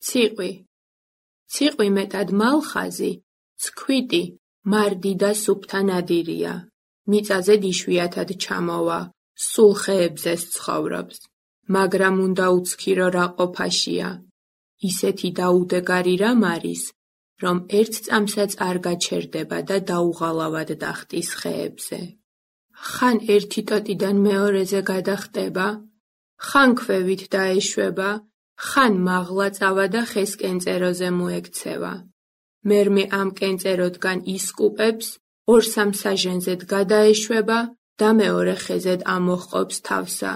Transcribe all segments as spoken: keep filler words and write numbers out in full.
ციყვი. ციყვი მეტად მალხაზი, ცქვიტი, მარდი და სუფთა ნადირია. მიწაზე იშვიათად ჩამოვა, სულ ხეებზეს ცხოვრობს. მაგრამ უნდა უცქირო რა ყოფაშია. ისეთი დაუდეგარი რამ არის, რომ ერთ წამსაც არ გაჩერდება და დაუღალავად დახტის ხეებზე. ხან ერთი ტოტიდან მეორეზე გადახტება, ხან ქვევით დაეშვება, ხან მაღლა წავა და ხეს კენწეროზე მოექცევა. მერმე ამ კენწეროდგან ისკუპებს, ორ-სამ საჟენზედ გადაეშვება და მეორე ხეზედ ამოჰყოფს თავსა.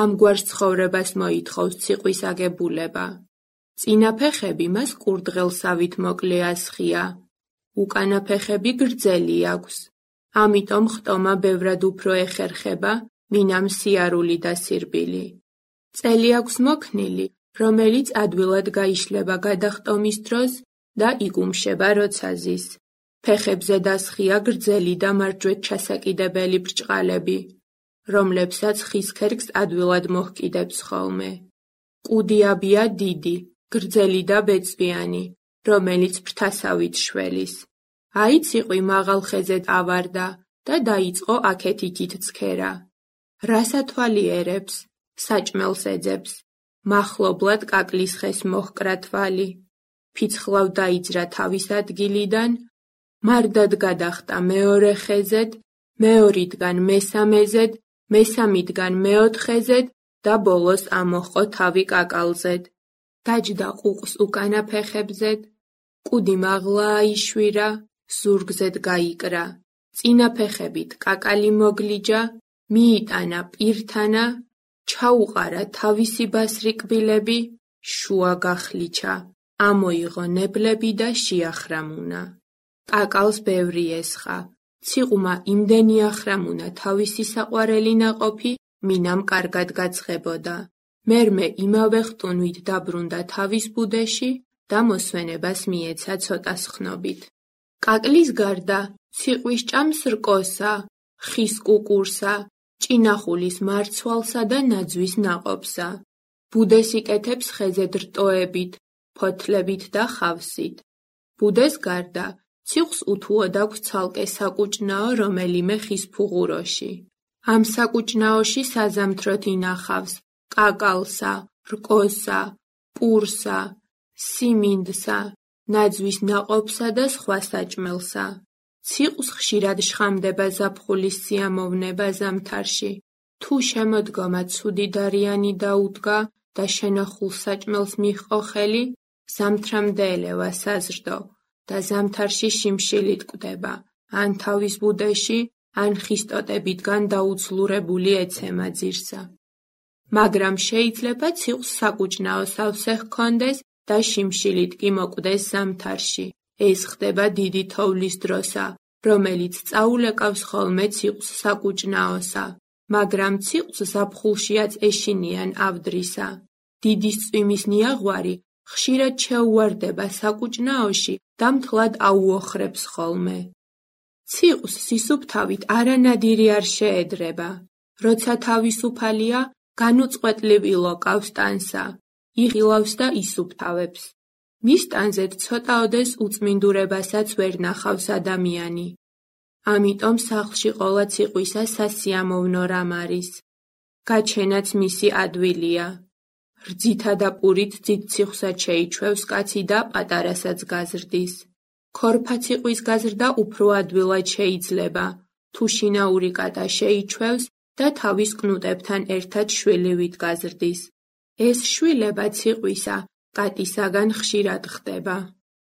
ამგვარ ცხოვრებას მოითხოვს ციყვის აგებულება. წინა ფეხები მას კურდღელსავით მოკლე ასხია, უკანა ფეხები გრძელი აქვს. ამიტომ ხტომა ბევრად უფრო ეხერხება, მინამ სიარული და სირბილი. წელი აქვს მოქნილი, რომელიც ადვილად გაიშლება გადახტომის დროს და იგუმშება როცა ზის. ფეხებზე დასხია გრძელი და მარჯვეთ ჩასაკიდებელი ბრჭყალები, რომლებსაც ხის ქერქს ადვილად მოჰკიდებს ხოლმე. კუდიაბია დიდი, გრძელი და ბეწვიანი, რომელიც ფრთასავით შველის. აი ციყვი მაღალ ხეზედ ავარდა და დაიწყო აქეთ-იქით ცქერა. რასათვალიერებს, საჭმელს ეძებს, მახლობლად კაკლის ხეს მოჰკრა თვალი. ფიცხლავ დაიძრა თავის ადგილიდან, მარდად გადახტა მეორე ხეზედ, მეორიდგან მესამეზედ, მესამიდგან მეოთხეზედ და ბოლოს ამოჰყო თავი კაკალზედ. დაჯდა ყუყს უკანა ფეხებზედ, კუდი მაღლა აიშვირა, ზურგზედ გაიკრა. წინა ფეხებით კაკალი მოგლიჯა, მიიტანა პირთანა, ჩაუყარა თავისი ბასრი კბილები, შუა გახლიჩა. ამოიღო ნებლები და შეახრამუნა. კაკალს ბევრი ესხა. ციყვმა იმდენი ახრამუნა თავისი საყვარელი ნაყოფი, მინამ კარგად გაცხებოდა. მერმე იმავე ხტუნვით დაბრუნდა თავის ბუდეში და მოსვენებას მიეცა ცოტას ხნობით. კაკლის გარდა ციყვის ჭამს რკოსა, ხის კუკურსა, ჭინახულის მარცვალსა და ნაძვის ნაყოფსა. ბუდეს იკეთებს ხეზე რტოებით, ფოთლებით და ხავსით. ბუდეს გარდა ციყვს უთუოდ აქვს ცალკე საკუჭნაო რომელიმე ხის ფუღუროში. ამ საკუჭნაოში საზამთროთ ინახავს კაკალსა, რკოსა, პურსა, სიმინდსა, ნაძვის ნაყოფსა და სხვა საჭმელსა. ციყვს ხშირად შხამდება ზაფხულის სიამოვნება ზამთარში. თუ შემოდგომა ცუდი დარიანი დაუდგა და შენახულ საჭმელს მიჰყო ხელი, ზამთრამდე ელევა საზრდო და ზამთარში შიმშილით კვდება, ან თავის ბუდეში, ან ხის ტოტებიდან დაუცლურებული ეცემა ძირსა. მაგრამ შეიძლება ციყვს საკუჭნაო სავსე ჰქონდეს და შიმშილით კი მოკვდეს ზამთარში. ეს ხდება დიდი თოვლის დროსა, რომელიც წაულეკავს ხოლმე ციყვს საკუჭნაოსა, მაგრამ ციყვს ზაფხულშიაც ეშინიან ავდრისა. დიდი წვიმის ნიაღვარი ხშირად შეუვარდება საკუჭნაოში და მთლად აუოხრებს ხოლმე. ციყვს სისუფთავით არანადირი არ შეედრება. როცა თავისუფალია, განუწყვეტლივ ილოკავს ტანსა, იღილავს და ისუფთავებს. მის ტანზედ ცოტაოდეს უწმინდურებასაც ვერ ნახავს ადამიანი. ამიტომ სახლში ყოლა ციყვისა სასიამოვნო რამ არის. გაჩენაც მისი ადვილია. რძითა და პურით ძით ციხვსად შეიჩვევს კაცი და პატარასაც გაზრდის. ქორფა ციყვის გაზრდა უფრო ადვილად შეიძლება, თუ შინაური კატა შეიჩვევს და თავის კნუტებთან ერთად შვილივით გაზრდის. ეს შვილება ციყვისა კატისაგან ხშირად ხდება.